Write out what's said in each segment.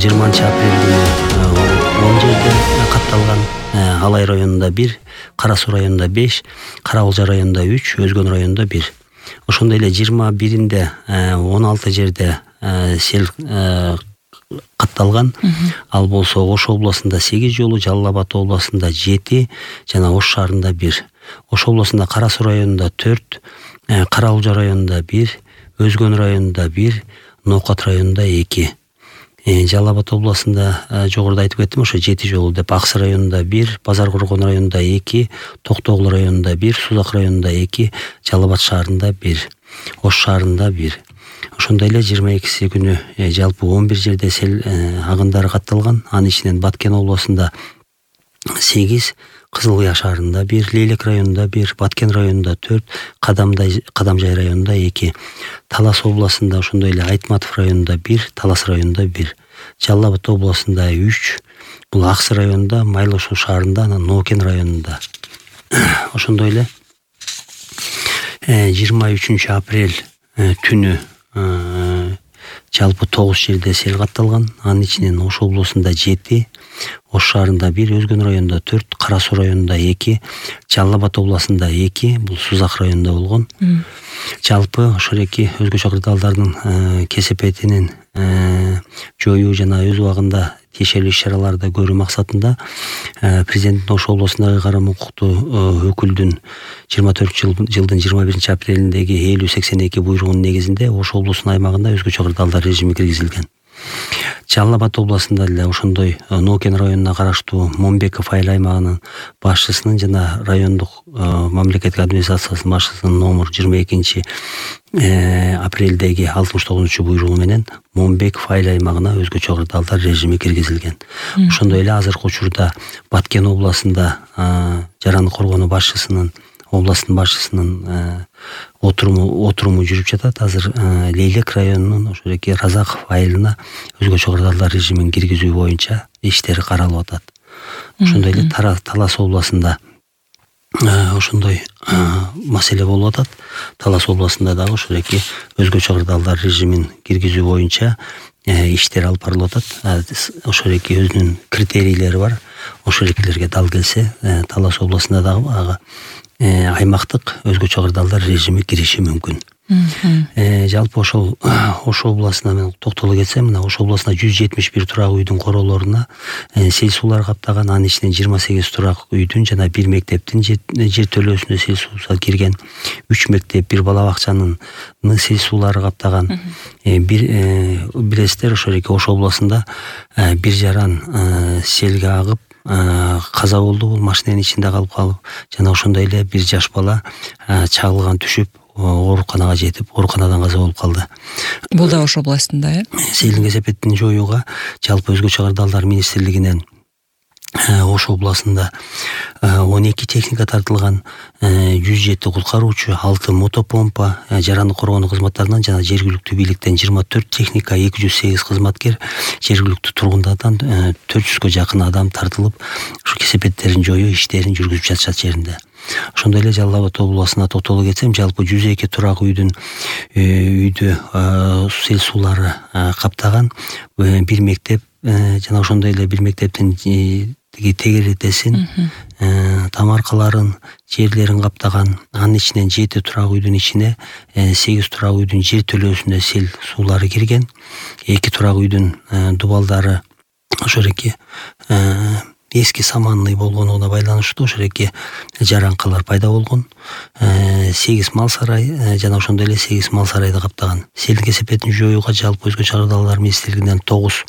апрель күнү 10 жерде катталган. Алай районунда 1, Кара Суу районунда 5, Кара Булжа районунда 3, Өзгөн районунда 1. Ошондой эле 21-inde 16 жерде сел катталган. Ал болсо Ош областында 8 жолу, Жалал Абад областында 7 жана Ош шаарында 1. Ош областында Кара Суу районунда 4, Кара Булжа районунда 1, Өзгөн районунда 1, Ноокат районунда 2. Жалал Абад областында жогоруда айтып кеттим, ошо 7 жолу деп. Аксы районунда 1, Базар Коргон районунда 2, Токтогул районунда 1, Сузак районунда 2, Жалал Абад шаарында 1, Ош шаарында 1. Ошондой эле 22 күнү жалпы 11 жерде сел агындары катталган. Анын ичинен Баткен областында 8, Кызыл Кыя шаарында 1, Лейлек районунда 1, Баткен районунда 4, Кадамжай районунда 2. Талас областында ошондой эле Айтматов районунда 1, Талас районунда 1. Жалал Абад областында 3, бул Аксы районунда, Майлуу Суу шаарында, анан Ноокен районунда. Ошондой эле 23 апрель түнү жалпы 9 жерде сел катталган. Анын ичинен Ош областында 7, Ош шаарында 1, Өзгөн районунда 4, Кара Суу районунда 2, Жалал Абад областында 2, бул Сузак районунда болгон. Жалпы ошол эки өзгөчө кырдаалдардын кесепетинин жоюу жана өз убагында тиешелүү иш-чараларды көрүү максатында президенттин Ош областындагы карам укуктуу өкүлдүн 24 жылдын 21 апрелиндеги 5082 буйругунун негизинде Ош облусунун аймагында өзгөчө кырдаалдар режими киргизилген. Жалал Абад областында деле ошондой Ноокен районуна караштуу Момбеков айыл аймагынын башчысынын жана райондук мамлекеттик администрациясынын башчысынын номер 22 апрелдеги 69 буйругу менен Момбеков айыл аймагына өзгөчө кырдаалдар режими киргизилген. Ошондой эле азыркы учурда Баткен областында жараны коргонуу областтын башчысынын отуруму жүрүп жатат. Азыр Лейлек районунун ошол эки Разаков айылына өзгөчө кырдаалдар режимин киргизүү боюнча иштери каралып атат. Ошондой эле Талас областында ошондой маселе болуп атат. Талас областында дагы ошол эки өзгөчө кырдаалдар режимин киргизүү боюнча иштер алып барылып атат. Ошол эки өзүнүн критерийлери бар. Ошол экилерге дал келсе Талас областында дагы аймактык өзгөчө кырдаалдар режими кириши мүмкүн. Жалпы ошол Ош областына мен токтоло кетсем, мына Ош областына 171 турак үйдүн короолоруна сел суулар каптаган. Анын ичинен 28 турак үйдүн жана 1 мектептин жер төлөөсүнө сел суу кирген. 3 мектеп, 1 бала бакчанын сел суулары каптаган. Билесиздер, ошол эки Ош областында бир жаран селге агып каза болду. Бул машинанын ичинде калып жана ошондой эле бир жаш бала чагылган түшүп ооруканага жетип, ооруканадан каза болуп калды. Бул да Ош областында, Селдин кесепетин жоюуга жалпы өзгөчө кырдаалдар министрлигинен Ош областында 12 техника тартылган, 107 куткаруучу, 6 мотопомпа, жарандык коргонуу кызматтарынан жана жергиликтүү бийликтен 24 техника, 208 кызматкер, жергиликтүү тургундардан 400гө жакын адам тартылып, ушу кесепеттерин жоюу иштерин жүргүзүп жатышат жеринде. Ошондой эле Жалал Абад областына токтоло кетсем, жалпы 102 турак үйдү сел суулары каптаган. 1 мектеп жана ошондой эле 1 мектептин тегеритесин, тамаркаларын, жерлерин каптаган. Анын ичинен 7 турак үйдүн ичине 8 турак үйдүн жер төлөөсүнө сел суулары кирген. 2 турак үйдүн дубалдары ошол эки эски саманный болгонуна байланыштуу ошол эки жаранкалар пайда болгон. 8 мал сарай жана ошондой эле 8 мал сарайды каптаган. Селдин кесепетин жоюуга жалпы өзгөчө кырдаалдар министрлигинен 9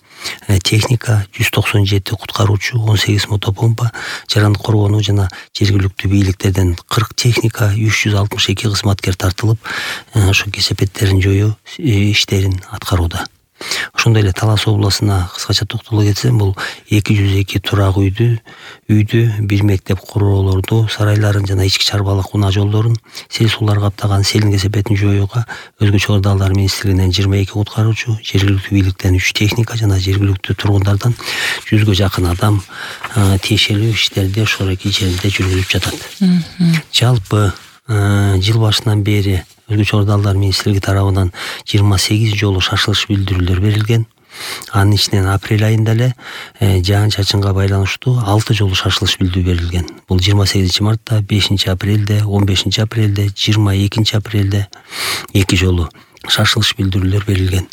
техника, 197 куткаруучу, 18 мотопомпа, жарандык коргонуу жана жергиликтүү бийликтерден 40 техника, 362 кызматкер тартылып, ошо кесепеттерин жоюу иштерин аткарууда. Ошондой эле Талас областына кыскача токтоло кетсем, бул 202 турак үйдү, 1 мектеп куроолорду, сарайларын жана ички чарбалык унаа жолдорун сел суулар каптаган. Селдин кесепетин жоюуга өзгөчө кырдаалдар министрлигинен 22 куткаруучу, жергиликтүү бийликтен 3 техника жана жергиликтүү тургундардан 100гө жакын адам тиешелүү иштерди ошол эки жерде жүргүзүп жатат. Жалпы жыл башынан бери өзгөчө кырдаалдар министрлиги тарабынан 28 жолу шашылыш билдирүүлөр берилген. Анын ичинен апрель айында эле жаан чачынга байланыштуу 6 жолу шашылыш билдирүү берилген. Бул 28 мартта, 5 апрелде, 15 апрелде, 22 апрелде 2 жолу шашылыш билдирүүлөр берилген.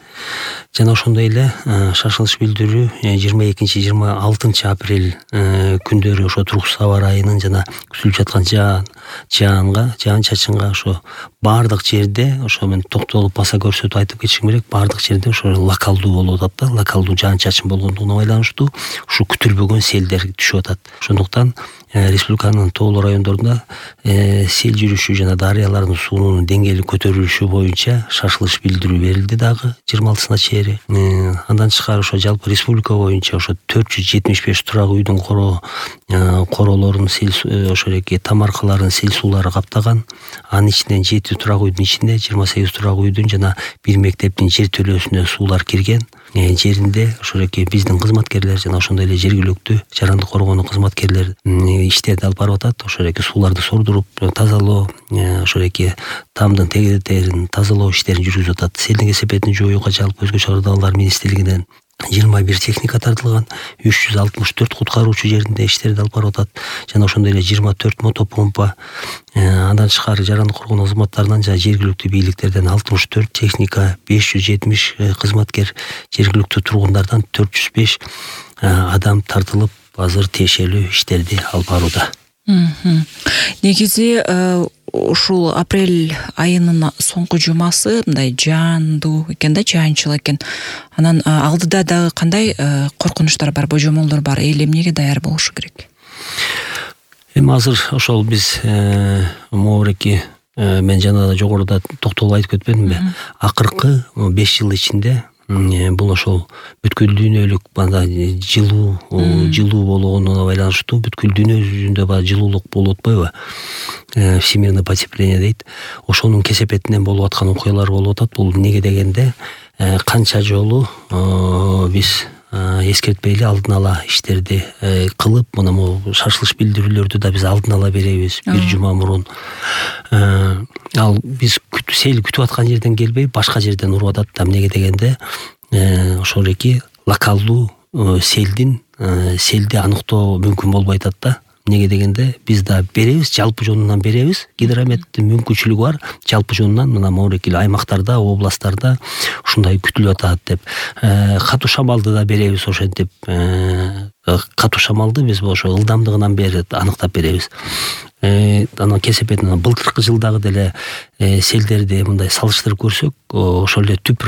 Жана ошондой эле шашылыш билдирүү 22-26 апрель күндөрү ошо Турук Сабар айынын жана күтүлүп жаткан жаан чачынга ошо баардык жерде ошо мен токтолуп баса көрсөтүп айтып кетишим керек. Баардык жерде ошо локалдуу болуп атат да. Локалдуу жаан чачын болгондугуна байланыштуу ушу күтүлбөгөн селдер түшүп атат. Ошондуктан республиканын тоолуу райондорунда сел жүрүшү жана дарыялардын суунун деңгээли көтөрүлүшү боюнча шашылыш билдирүү берилди дагы 26-сына чейин. Андан тышкары ошо жалпы республика боюнча ошо 475 турак үйдүн королорун ошо эки тамаркаларын сел суулары каптаган. Анын ичинен 7 турак үйдүн ичинде 28 турак үйдүн жана бир мектептин жер төлөөсүнө суулар кирген. Жеринде ошо эки биздин кызматкерлер жана ошондой эле жергиликтүү жарандык коргоонун кызматкерлери иштерди алып барып атат. Ошо эки сууларды сордуруп тазалоо, ошо эки тамдын тегеректерин тазалоо иштерин жүргүзүп атат. Селдин кесепетин жоюуга жалпы өзгөчө ырдыалар министрлигинен 21 техника тартылган, 364 куткаруучу жеринде иштерди алып барып атат. Жана ошондой эле 24 мотопомпа, андан тышкары жарандык коргоонун кызматтарынан жана жергиликтүү бийликтерден 64 техника, 570 кызматкер, жергиликтүү тургундардан 405 адам тартылып, азыр тиешелүү иштерди алып барууда. Негизи ушул апрель айынын соңку жумасы мындай жаандуу экен да, жаанчыл экен. Анан алдыда дагы кандай коркунучтар бар, божомолдор бар, эл эмнеге даяр болушу керек? Эми азыр ошол биз моореки мен жана да жогоруда токтолуп айтып кетпедимби? Акыркы 5 жыл ичинде бул ошол бүткүл дүйнөлүк жылуу болгонуна байланыштуу бүткүл дүйнө жүзүндө жылуулук болуп атпайбы? Всемирное потепление дейт. Ошонун кесепетинен болуп аткан окуялар болуп атат. Бул неге дегенде канча жолу биз эскертпейли алдын ала иштерди кылып, мына могу шашылыш билдирүүлөрдү да биз алдын ала беребиз бир жума мурун. Ал биз сел күтүп аткан жерден келбей башка жерден уруп атат. Эмнеге дегенде ошол эки локалдуу селди аныктоо мүмкүн болбой атат да. Неге дегенде биз да беребиз, жалпы жонунан беребиз. Гидрометтин мүмкүнчүлүгү бар. Жалпы жонунан мына моорекил аймактарда, областтарда ушундай күтүлүп атат деп. Катуу шамалды да беребиз ошентип. Катуу шамалды биз ошо ылдамдыгынан бери аныктап беребиз. Анан кесепетин былтыркы жылдагы деле селдерди мындай салыштырып көрсөк, ошол эле түп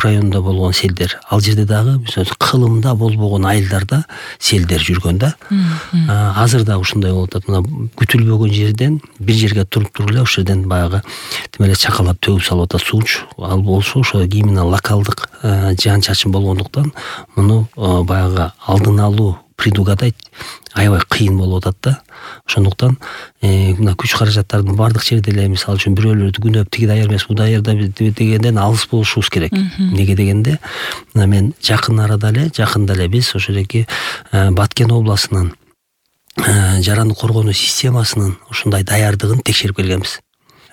районунда болгон селдер, ал жерде дагы биз кылымда болбогон айылдарда селдер жүргөн да. Азыр да ушундай болуп атат. Мына күтүлбөгөн жерден бир жерге туруп эле ошол жерден баягы тим эле чакалап төгүп салып атат сууч. Ал болсо ошо именно локалдык жаан чачын болгондуктан муну баягы алдын алуу, предугадать аябай кыйын болуп атат да. Ошондуктан мына күч каражаттардын баардык жерде эле мисалы үчүн бирөөлөрдү күнөп тиги даяр эмес, бу даяр дегенден алыс болушубуз керек. Неге дегенде мына мен жакында эле биз ошол эки Баткен областынын жарандык коргонуу системасынын ушундай даярдыгын текшерип келгенбиз.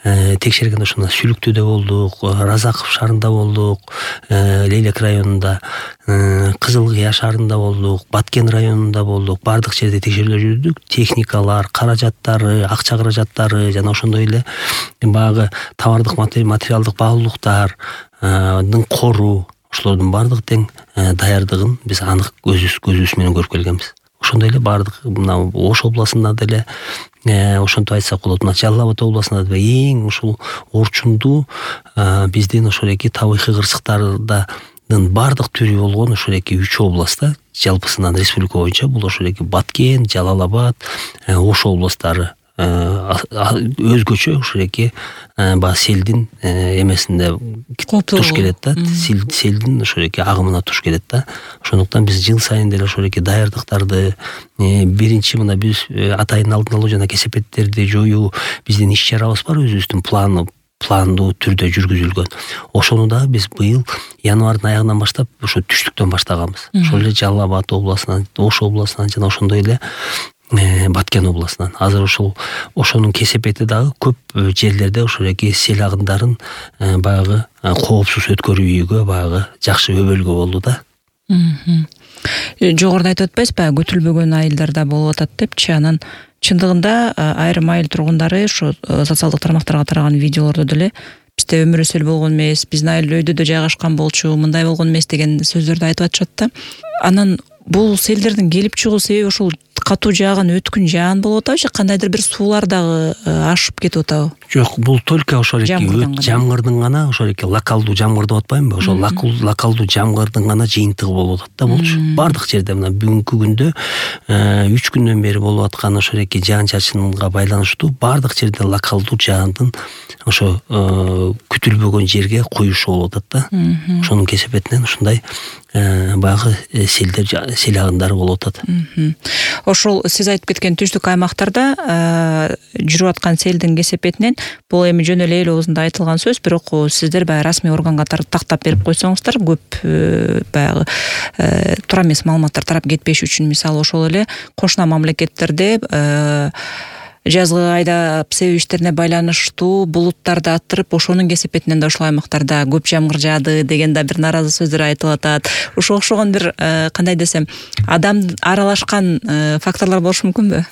Текшерген ошондо Сүлүктүдө болдук, Разаков шаарында болдук, Лейлек районунда, Кызыл Кыя шаарында болдук, Баткен районунда болдук. Баардык жерде текшерүүлөр жүргүздүк. Техникалар, каражаттары, акча каражаттары жана ошондой эле баягы товардык материалдык баалуулуктардын кору, ошолордун баардык тең даярдыгын биз анык көзүбүз менен көрүп келгенбиз. Ошондой эле баардык мына Ош областында деле ошентип айтсак болот. Мына Жалал Абад областында да эң ушул орчундуу биздин ошол эки табигый кырсыктардын баардык түрү болгон ошол эки 3 областта жалпысынан республика боюнча бул ошол эки Баткен, Жалал Абад, Ош областтары өзгөчө ошол эки баягы селдин эмесинде туш келет да. Селдин ошол эки агымына туш келет да. Ошондуктан биз жыл сайын деле ошол эки даярдыктарды биринчи мына биз атайын алдын алуу жана кесепеттерди жоюу биздин иш-чарабыз бар, өзүбүздүн пландуу түрдө жүргүзүлгөн. Ошону да биз быйыл январдын аягынан баштап ошо түштүктөн баштаганбыз. Ошол эле Жалал Абад областынан, Ош областынан жана ошондой эле Баткен областынан. Азыр ошонун кесепети дагы көп жерлерде ошол эки сел агындарын баягы коопсуз өткөрүүгө баягы жакшы өбөлгө болду да. Жогоруда айтып атпайсызбы, күтүлбөгөн айылдарда болуп атат депчи. Анан чындыгында айрым айыл тургундары ушу социалдык тармактарга тараган видеолордо деле бизде өмүр өсөл болгон эмес, биздин айыл өйдөдө жайгашкан болчу, мындай болгон эмес деген сөздөрдү айтып атышат да. Анан бул селдердин келип чыгуу себеби ушул катуу жааган өткүн жаан болуп атабы же кандайдыр бир суулар дагы ашып кетип атабы? Жок, бул только ошол эки жамгырдын гана, ошол эки локалдуу жамгыр деп атпаймынбы? Ошол локалдуу жамгырдын гана жыйынтыгы болуп атат да болчу. Бардык жерде мына бүгүнкү күндө 3 күндөн бери болуп аткан ошол эки жаан чачынга байланыштуу бардык жерде локалдуу жаандын ошо күтүлбөгөн жерге куюшу болуп атат да. Ошонун кесепетинен ушундай баягы сел агындары болуп атат. Ошол сиз айтып кеткен түштүк аймактарда жүрүп аткан селдин кесепетинен бул эми жөн эле эл оозунда айтылган сөз, бирок сиздер баягы расмий органга тактап берип койсоңуздар, көп баягы туура эмес маалыматтар тарап кетпеш үчүн, мисалы ошол эле кошуна мамлекеттерде жазгы айда себеп иштерине байланыштуу булуттарды аттырып, ошонун кесепетинен да ушул аймактарда көп жамгыр жаады деген да бир нааразы сөздөр айтылып атат. Ушуга окшогон бир кандай десем, адам аралашкан факторлор болушу мүмкүнбү?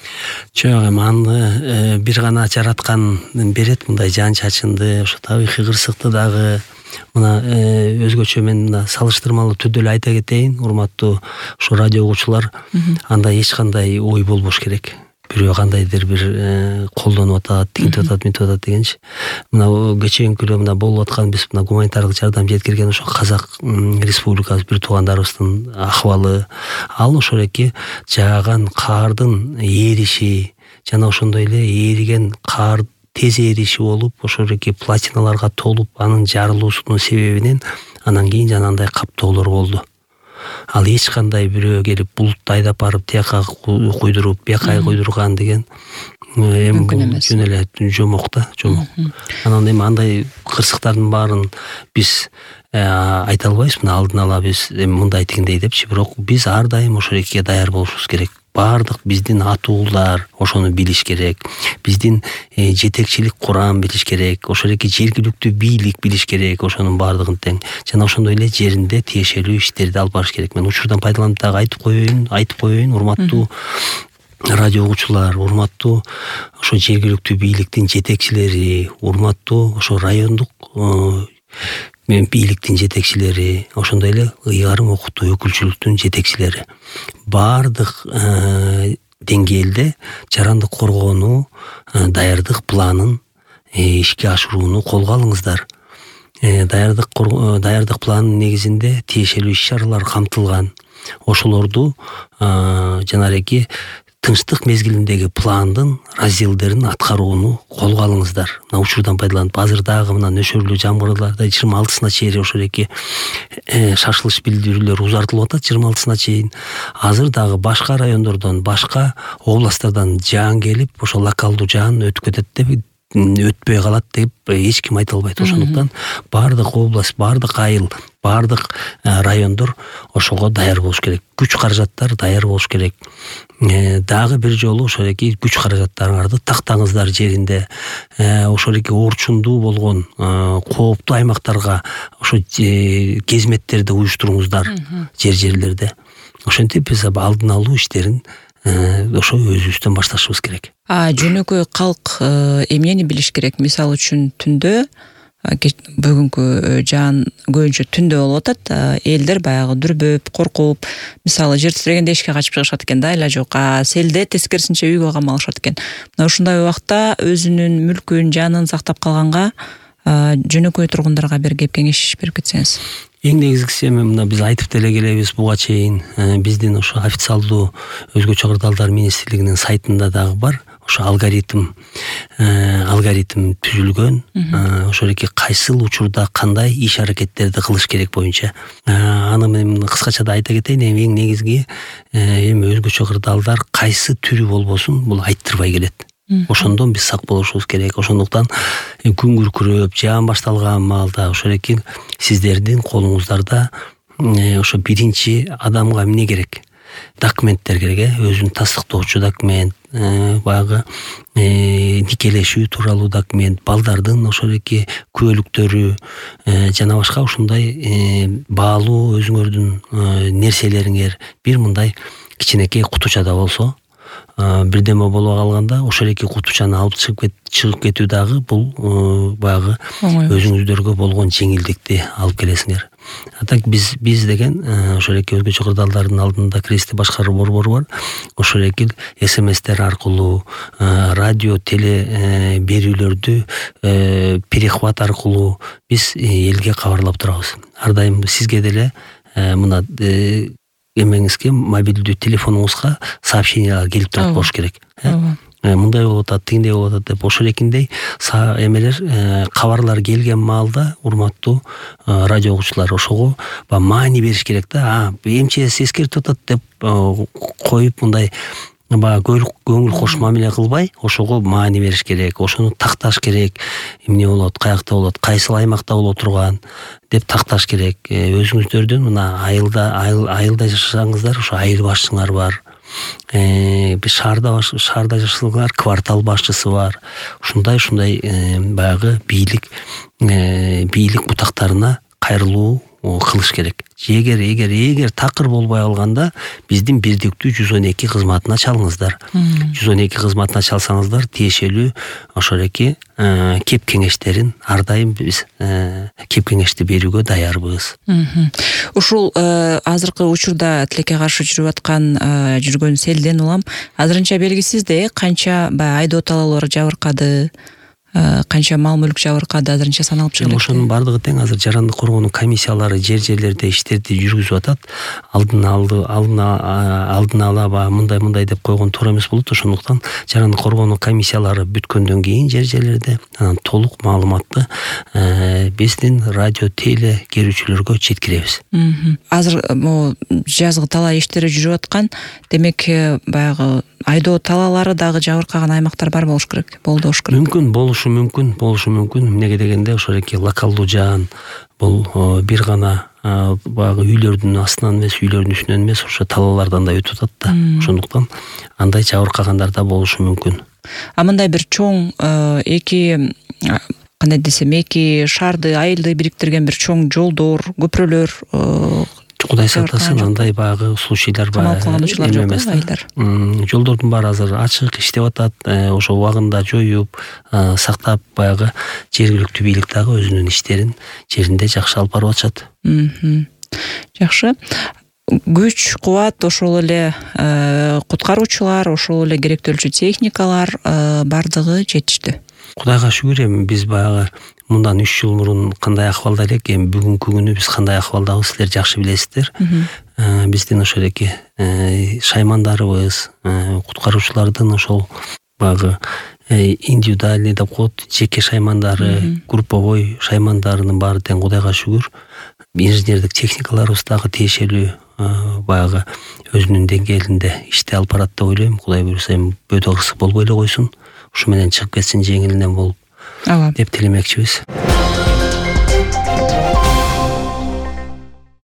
Жок, эми аны бир гана жараткан берет мындай жаан чачынды, ошо табигый кырсыкты дагы. Мына өзгөчө мен мына салыштырмалуу түрдө эле айта кетейин, урматтуу ушу радио угуучулар, анда эч кандай ой болбош керек. Бирөө кандайдыр бир колдонуп атат, тигинтип атат, мынтип атат дегенчи. Мына кечээинки күнү мына болуп аткан биз мына гуманитардык жардам жеткирген ошо Казак Республикасы бир туугандарыбыздын акыбалы, ал ошол эки жааган каардын эриши жана ошондой эле эриген каар тез эриши болуп, ошол эки платиналарга толуп, анын жарылуусунун себебинен анан кийин жанагындай каптоолор болду. Ал эч кандай бирөө келип булутты айдап барып тияка куйдуруп, бияка куйдурган деген эми жөн эле жомок да, жомок. Анан эми андай кырсыктардын баарын биз айта албайбыз, мына алдын ала биз эми мындай тигиндей депчи, бирок биз ар дайым ошол экиге даяр болушубуз керек. Бардык биздин атуулар ошону билиш керек. Биздин жетекчилик курам билиш керек. Ошол эки жергиликтүү бийлик билиш керек. Ошонун бардыгын тең. Жана ошондой эле жеринде тиешелүү иштерди алып барыш керек. Мен учурдан пайдаланып дагы айтып коеюн, урматтуу радио угуучулар, урматтуу ошо жергиликтүү бийликтин жетекчилери, урматтуу ошо райондук бийликтин жетекчилери, ошондой эле ыйгарым окутуу өкүлчүлүктүн жетекчилери. Бардык деңгээлде жарандык коргоонуу даярдык планын ишке ашырууну колго алыңыздар. Даярдык планынын негизинде тиешелүү иш-чаралар камтылган. Ошолорду жанагы тынчтык мезгилиндеги пландын разделдерин аткарууну колго алыңыздар. Мына учурдан пайдаланып, азыр дагы мына нөшөрлүү жамгырларда 26-сына чейин ошол эки шашылыш билдирүүлөр узартылып атат, 26-сына чейин. Азыр дагы башка райондордон, башка областтардан жаан келип, ошо локалдуу жаан өтүп кетет деп, өтпөй калат деп эч ким айта албайт. Ошондуктан бардык область, бардык айыл, бардык райондор ошого даяр болуш керек. Күч каражаттар даяр болуш керек. Дагы бир жолу ошол эки күч каражаттарыңарды тактаңыздар жеринде. Ошол эки орчундуу болгон кооптуу аймактарга ошо кезметтерди уюштуруңуздар жерлерде. Ошентип биз алдын алуу иштерин ошо өзүбүздөн башташыбыз керек. Жөнөкөй калк эмнени билиш керек? Мисалы үчүн түндө бүгүнкү жаан көбүнчө түндө болуп атат. Элдер баягы дүрбөп, коркуп, мисалы жер титирегенде эшикке качып чыгышат экен да, айла жок. Селде тескерисинче үйгө камалышат экен. Мына ушундай убакта өзүнүн мүлкүн, жанын сактап калганга жөнөкөй тургундарга бир кеп кеңеш берип кетсеңиз. Эң негизгиси эми мына биз айтып деле келебиз буга чейин. Биздин ошо официалдуу өзгөчө кырдаалдар министрлигинин сайтында дагы бар. Ошо алгоритм түзүлгөн. Ошол эки кайсыл учурда кандай иш аракеттерди кылыш керек боюнча. Аны мен кыскача да айта кетейин. Эң негизги эми өзгөчө кырдаалдар кайсы түрү болбосун бул айттырбай келет. Ошондон биз сак болушубуз керек. Ошондуктан күн күркүрөп, жаан башталган маалда ошол эки сиздердин колуңуздарда ошо биринчи адамга эмне керек? Документтер керек, өзүн тастыктоочу документ, баягы никелешүү тууралуу документ, балдардын ошол эки күбөлүктөрү жана башка ушундай баалуу өзүңөрдүн нерселериңер бир мындай кичинекей кутучада болсо, бирдеме боло калганда ошол эки кутучаны алып чыгып кетүү дагы бул баягы өзүңүздөргө болгон жеңилдикти алып келесиңер. А так биз деген ошол эки өзгөчө кырдаалдардын алдында кризисти башкаруу борбору бар. Ошол эки СМСтер аркылуу, радио, теле берүүлөрдү перехват аркылуу биз элге кабарлап турабыз. Ар дайым сизге деле мына эмеңизге, мобилдүү телефонуңузга сообщениялар келип турат болуш керек. Мындай болуп атат, тигиндей болуп атат деп ошол экиндей эмелер, кабарлар келген маалда урматтуу радио угуучулар ошого маани бериш керек да. МЧС эскертип атат деп коюп мындай көңүл кош мамиле кылбай, ошого маани бериш керек, ошону такташ керек. Эмне болот, каякта болот, кайсыл аймакта боло турган деп такташ керек. Өзүңүздөрдүн мына айылда жашасаңыздар, ошо айыл башчыңар бар. Шаарда жашасаңар, квартал башчысы бар. Ушундай баягы бийлик бутактарына кайрылуу кылыш керек. Эгер такыр болбой калганда биздин бирдиктүү 112 кызматына чалыңыздар. 112 кызматына чалсаңыздар, тиешелүү ошол эки кеп кеңештерин ар дайым биз кеп кеңешти берүүгө даярбыз. Ушул азыркы учурда тилекке каршы жүргөн селден улам азырынча белгисиз да, канча айдоо талоолор жабыркады, канча мал мүлк жабыркады, азырынча саналып чыгып. Ошонун бардыгы тең азыр жарандык коргоонун комиссиялары жерлерде иштерди жүргүзүп атат. Алдын ала мындай деп койгон туура эмес болот. Ошондуктан жарандык коргоонун комиссиялары бүткөндөн кийин жерлерде анан толук маалыматты биздин радио теле керүүчүлөргө жеткиребиз. Азыр жазгы талаа иштери жүрүп аткан, демек баягы айдоо талаалары дагы жабыркаган аймактар бар болуш керек, болуш керек. Болушу мүмкүн. Эмнеге дегенде ошол эки локалдуу жаан бул бир гана баягы үйлөрдүн астынан эмес, үйлөрдүн үстүнөн эмес, ошо талаалардан да өтүп атат да. Ошондуктан андай жабыркагандар да болушу мүмкүн. Мындай бир чоң кандай десем, эки шаарды, айылды бириктирген бир чоң жолдор, көпүрөлөр Кудай сактасын, андай баягы случайлар бар. Жолдордун баары азыр ачык иштеп атат. Ошо убагында жоюп, сактап баягы жергиликтүү бийлик дагы өзүнүн иштерин жеринде жакшы алып барып атышат. Жакшы. Күч, кубат, ошол эле куткаруучулар, ошол эле керектүүлчү техникалар бардыгы жетиштүү. Кудайга шүгүр, эми биз баягы мындан 3 жыл мурун кандай акыбалда элек, эми бүгүнкү күнү биз кандай акыбалдабыз, силер жакшы билесиздер. Биздин ошол эки шаймандарыбыз, куткаруучулардын ошол баягы индивидуальный деп коет, жеке шаймандары, групповой шаймандарынын баары тең Кудайга шүгүр. Инженердик техникаларыбыз дагы тиешелүү баягы өзүнүн деңгээлинде ишти алып барат деп ойлойм. Кудай буйруса эми бөөдө кырсык болбой эле койсун. Ушу менен чыгып кетсин жеңилинен болуп деп тилемекчибиз.